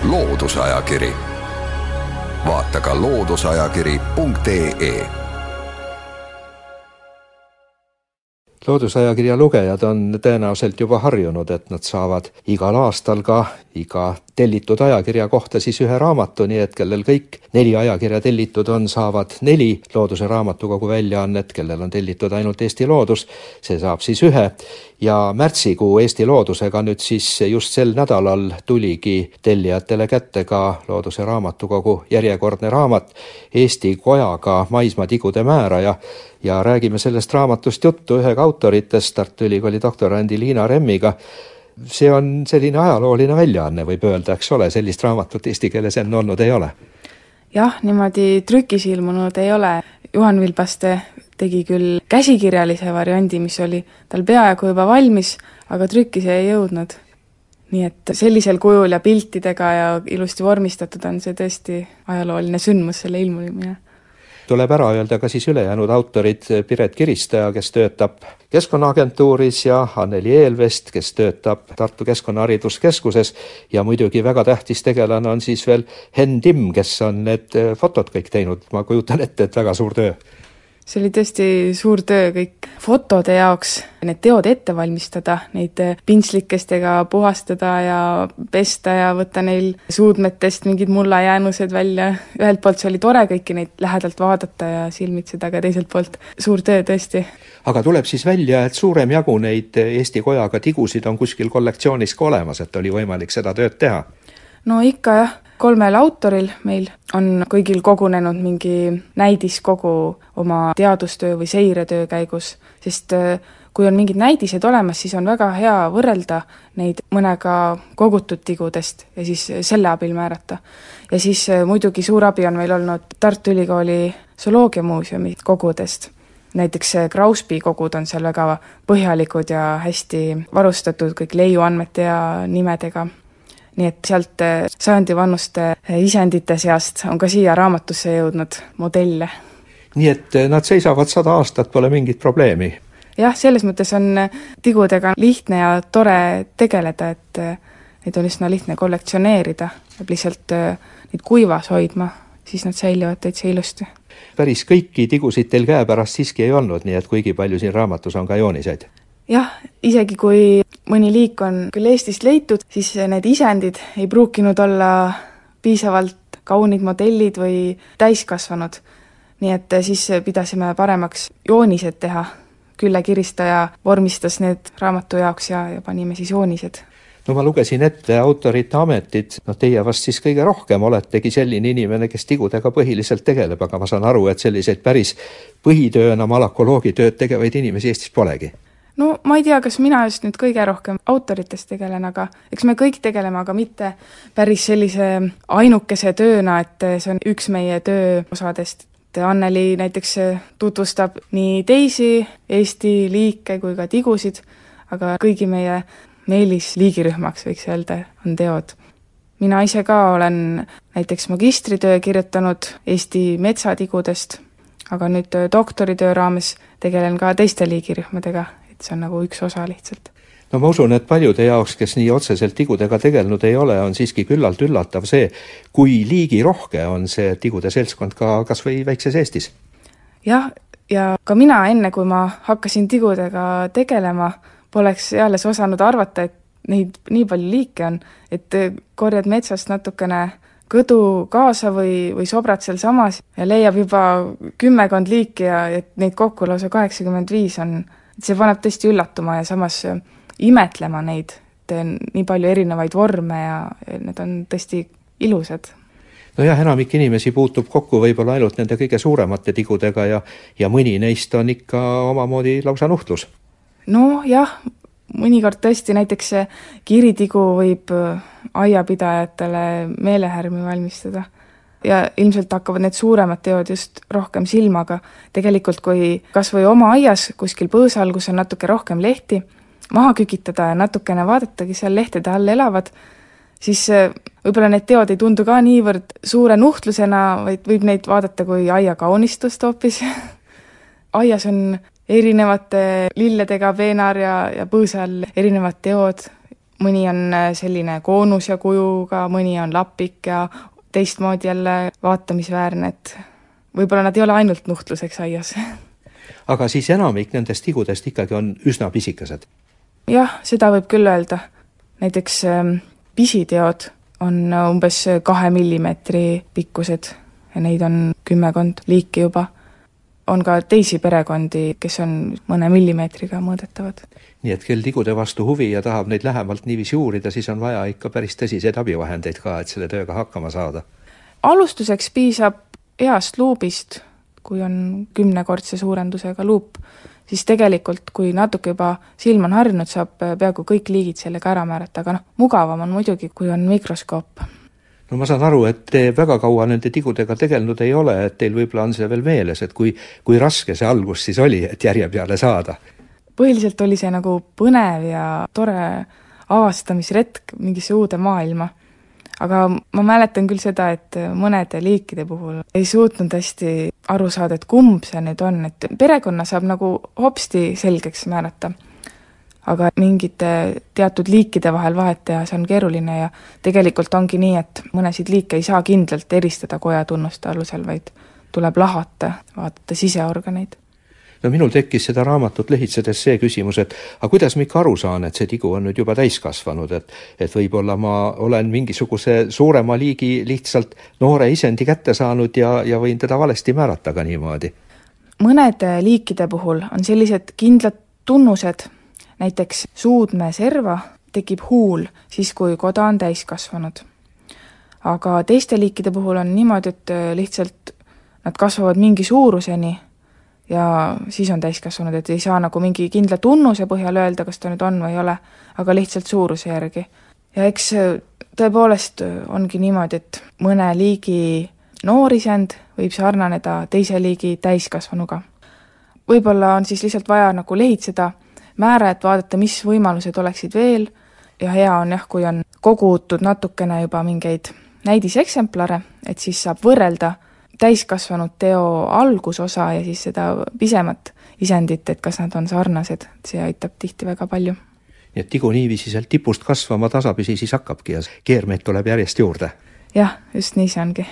Loodusajakiri. Vaata ka loodusajakiri.ee. Loodusajakirja lugejad on tõenäoliselt juba harjunud, et nad saavad igal aastal ka iga tellitud ajakirja kohta siis ühe raamatu, nii et kellel kõik 4 ajakirja tellitud on, saavad 4 Looduse Raamatukogu väljaannet, kellel on tellitud ainult Eesti Loodus, see saab siis 1. Ja märtsikuu Eesti Loodusega nüüd siis just sel nädalal tuligi tellijatele kätte ka Looduse Raamatukogu järjekordne raamat Eesti kojaga maismaatigude määraja. Ja räägime sellest raamatust juttu ühega autoritest, Tartu Ülikooli doktorandi Liina Remmiga. See on selline ajalooline väljaanne, võib öelda, eks ole, sellist raamatut eesti keeles enne olnud ei ole. Jah, niimoodi trükis ilmunud ei ole. Juhan Vilbaste tegi küll käsikirjalise variandi, mis oli tal peaaegu juba valmis, aga trükkis ei jõudnud. Nii et sellisel kujul ja piltidega ja ilusti vormistatud on see tõesti ajalooline sündmus, selle ilmumine. Tuleb ära öelda ka siis ülejäänud autorid Piret Kiristaja, kes töötab Keskkonnaagentuuris ja Anneli Eelvest, kes töötab Tartu Keskkonnahariduskeskuses ja muidugi väga tähtis tegelane on siis veel Henn Timm, kes on need fotod kõik teinud. Ma kujutan ette, et väga suur töö. See oli tõesti suur töö kõik fotode jaoks, need teod ette valmistada, neid pintslikestega puhastada ja pesta ja võtta neil suudmetest mingid mullajäänused välja. Ühelt poolt see oli tore kõiki neid lähedalt vaadata ja silmitseda, aga teiselt poolt suur töö tõesti. Aga tuleb siis välja, et suurem jagu neid Eesti kojaga tigusid on kuskil kollektsioonis ka olemas, et oli võimalik seda tööd teha? No ikka jah. 3 autoril meil on kõigil kogunenud mingi näidiskogu oma teadustöö või seiretöö käigus, sest kui on mingid näidised olemas, siis on väga hea võrrelda neid mõnega kogutud tigudest ja siis selle abil määrata. Ja siis muidugi suur abi on meil olnud Tartu Ülikooli zooloogiamuuseumi kogudest. Näiteks Krauspi kogud on seal väga põhjalikud ja hästi varustatud kõik leiuandmete ja nimedega. Nii et sealt sajandi vanuste isendite seast on ka siia raamatusse jõudnud modelle. Nii et nad seisavad 100 aastat, pole mingit probleemi. Jah, selles mõttes on tigudega lihtne ja tore tegeleda, et neid on üsna lihtne kollektsioneerida ja lihtsalt neid kuivas hoidma, siis nad säilivad täitsa ilusti. Päris kõiki tigusid teil käepärast siiski ei olnud, nii et kuigi palju siin raamatus on ka jooniseid. Jah, isegi kui mõni liik on küll Eestist leitud, siis need isendid ei pruukinud olla piisavalt kaunid modellid või täiskasvanud. Nii et siis pidasime paremaks joonised teha. Külle Kiristaja vormistas need raamatu jaoks ja panime siis joonised. No ma lugesin ette autorite ametid, teie vast siis kõige rohkem oletegi selline inimene, kes tigudega põhiliselt tegeleb, aga ma saan aru, et selliseid päris põhitööna malakoloogitööd tegevaid inimesi Eestis polegi. No ma ei tea, kas mina just nüüd kõige rohkem autoritest tegelen, aga eks me kõik tegeleme, aga mitte päris sellise ainukese tööna, et see on üks meie töö osadest. Anneli näiteks tutvustab nii teisi Eesti liike kui ka tigusid, aga kõigi meie eelisliigirühmaks võiks öelda on teod. Mina ise ka olen näiteks magistritöö kirjutanud Eesti metsatigudest, aga nüüd doktoritöö raames tegelen ka teiste liigirühmadega. See on nagu üks osa lihtsalt. No ma usun, et paljude jaoks, kes nii otseselt tigudega tegelnud ei ole, on siiski küllalt üllatav see, kui liigi rohke on see tigude seltskond ka kas või väikses Eestis. Jah, ja ka mina enne, kui ma hakkasin tigudega tegelema, poleks alles osanud arvata, et neid nii palju liike on, et korjad metsast natukene kõdu kaasa või sobrad seal samas ja leiab juba 10 liiki ja et neid kokku lausa 85 on. See paneb tõesti üllatuma ja samas imetlema neid, et nii palju erinevaid vorme ja need on tõesti ilusad. No jah, enamik inimesi puutub kokku võib-olla ainult nende kõige suuremate tigudega ja mõni neist on ikka omamoodi lausa nuhtlus. No jah, mõnikord tõesti näiteks kiritigu võib aiapidajatele meelehärmi valmistada. Ja ilmselt hakkavad need suuremad teod just rohkem silmaga. Tegelikult kui kas või oma aias kuskil põõsal, kus on natuke rohkem lehti, maha kükitada ja natukene vaadatagi seal lehtede all elavad, siis võib-olla need teod ei tundu ka niivõrd suure nuhtlusena, vaid võib neid vaadata kui aia kaunistust hoopis. Aias on erinevate lilledega peenar ja põõsal erinevad teod. Mõni on selline koonus ja kujuga, mõni on lapik ja teistmoodi jälle vaatamisväärne, et võib-olla nad ei ole ainult nuhtluseks aias. Aga siis enamik nendest tigudest ikkagi on üsna pisikesed. Jah, seda võib küll öelda. Näiteks pisiteod on umbes 2 millimeetri pikkused ja neid on 10 liiki juba. On ka teisi perekondi, kes on mõne millimeetriga mõõdetavad. Nii et kel tigude vastu huvi ja tahab neid lähemalt niiviisi uurida, siis on vaja ikka päris tõsiseid abivahendeid ka, et selle tööga hakkama saada. Alustuseks piisab heast luubist, kui on 10-kordse suurendusega luup, siis tegelikult, kui natuke juba silm on harjunud, saab peaaegu kõik liigid sellega ära määrata, aga mugavam on muidugi, kui on mikroskoop. No ma saan aru, et te väga kaua nende tigudega tegelenud ei ole, et teil võib-olla on see veel meeles, et kui raske see algus siis oli, et järje peale saada? Põhiliselt oli see nagu põnev ja tore avastamisretk mingisse uude maailma. Aga ma mäletan küll seda, et mõnede liikide puhul ei suutnud hästi aru saada, et kumb see nüüd on, et perekonna saab nagu hopsti selgeks määrata. Aga mingite teatud liikide vahel vahet teha, see on keeruline ja tegelikult ongi nii, et mõnesid liike ei saa kindlalt eristada kojatunnuste alusel, vaid tuleb lahata, vaadata siseorganeid. No minul tekkis seda raamatut lehitsedes see küsimus, et aga kuidas ma ikka aru saan, et see tigu on nüüd juba täiskasvanud, et võib-olla ma olen mingisuguse suurema liigi lihtsalt noore isendi kätte saanud ja võin teda valesti määrata ka niimoodi. Mõnede liikide puhul on sellised kindlad tunnused, näiteks suudme serva tekib huul siis, kui koda on täiskasvanud. Aga teiste liikide puhul on niimoodi, et lihtsalt nad kasvavad mingi suuruseni ja siis on täiskasvanud, et ei saa nagu mingi kindla tunnuse põhjal öelda, kas ta nüüd on või ei ole, aga lihtsalt suuruse järgi. Ja eks tõepoolest ongi niimoodi, et mõne liigi noorisend võib sarnaneda teise liigi täiskasvanuga. Võib-olla on siis lihtsalt vaja nagu lehitseda määra, et vaadata, mis võimalused oleksid veel ja hea on jah, kui on kogutud natukene juba mingeid näidiseksemplare, et siis saab võrrelda täiskasvanud teo algusosa ja siis seda pisemat isendit, et kas nad on sarnased, see aitab tihti väga palju. Nii et tigu niiviisi sealt tipust kasvama tasapisi siis hakkabki ja keermeid tuleb järjest juurde. Jah, just nii see ongi.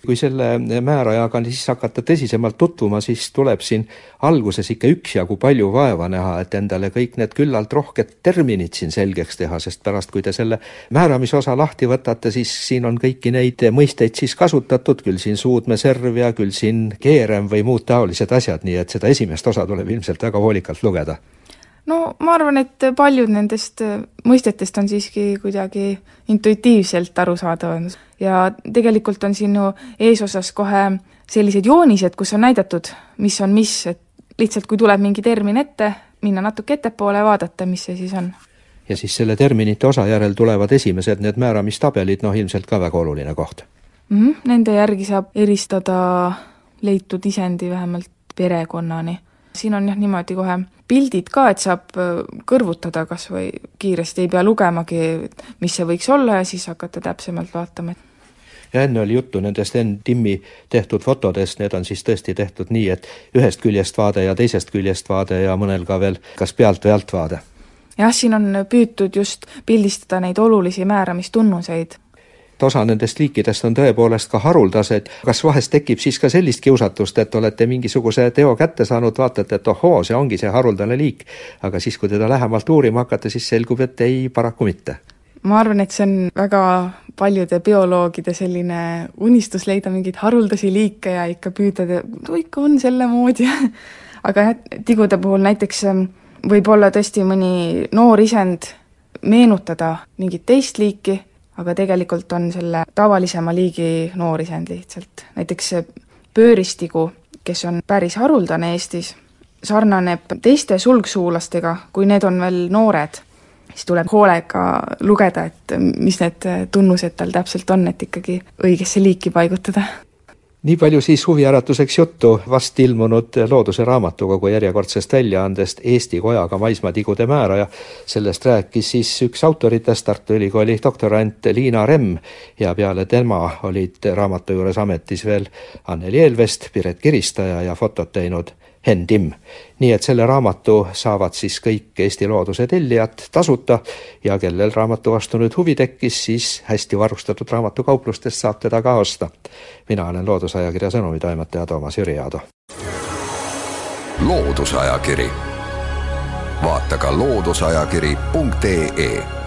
Kui selle määrajaga siis hakata tõsisemalt tutvuma, siis tuleb siin alguses ikka üksjagu palju vaeva näha, et endale kõik need küllalt rohked terminid siin selgeks teha, sest pärast, kui te selle määramisosa lahti võtate, siis siin on kõiki neid mõisteid siis kasutatud, küll siin suudmeserv ja küll siin keerem või muud taolised asjad, nii et seda esimest osa tuleb ilmselt väga hoolikalt lugeda. No ma arvan, et paljud nendest mõistetest on siiski kuidagi intuitiivselt arusaadav ja tegelikult on siin ju eesosas kohe sellised joonised, kus on näidatud, mis on mis, et lihtsalt kui tuleb mingi termin ette, minna natuke ettepoole ja vaadata, mis see siis on. Ja siis selle terminite osa järel tulevad esimesed need määramistabelid, ilmselt ka väga oluline koht. Nende järgi saab eristada leitud isendi vähemalt perekonnani. Siin on jah niimoodi kohe pildid ka, et saab kõrvutada kas või kiiresti, ei pea lugemagi, mis see võiks olla ja siis hakata täpsemalt vaatama. Ja enne oli juttu nendest NTIM-i tehtud fotodest, need on siis tõesti tehtud nii, et ühest küljest vaade ja teisest küljest vaade ja mõnel ka veel kas pealt või alt vaade. Jah, siin on püütud just pildistada neid olulisi määramistunnuseid. Osa nendest liikidest on tõepoolest ka haruldased. Kas vahest tekib siis ka sellist kiusatust, et olete mingisuguse teo kätte saanud, vaatate, et ohoo, see ongi see haruldane liik, aga siis, kui teda lähemalt uurima hakata, siis selgub, et ei, paraku mitte. Ma arvan, et see on väga paljude bioloogide selline unistus leida mingeid haruldasi liike ja ikka püüda, ikka on selle moodi. Aga tigude puhul näiteks võib olla tõesti mõni noor isend meenutada mingit teist liiki, aga tegelikult on selle tavalisema liigi noorisend lihtsalt. Näiteks pööristigu, kes on päris haruldane Eestis, sarnaneb teiste sulgsuulastega, kui need on veel noored. Siis tuleb hoolega lugeda, et mis need tunnused tal täpselt on, et ikkagi õigesse liiki paigutada. Nii palju siis huviäratuseks juttu vast ilmunud Looduse raamatukogu järjekordsest väljaandest Eesti kojaga maismaatigude määraja. Sellest rääkis siis üks autoritest, Tartu Ülikooli doktorant Liina Remm ja peale tema olid raamatu juures ametis veel Anneli Eelvest, Piret Kiristaja ja fotot teinud Henn Timm. Nii et selle raamatu saavad siis kõik Eesti looduse tellijad tasuta ja kellel raamatu vastu nüüd huvi tekkis, siis hästi varustatud raamatukauplustest saab teda ka osta. Mina olen Loodusajakirja sõnumitoimetaja Toomas Jüri Aado. Loodusajakiri. Vaata ka looduseajakiri.ee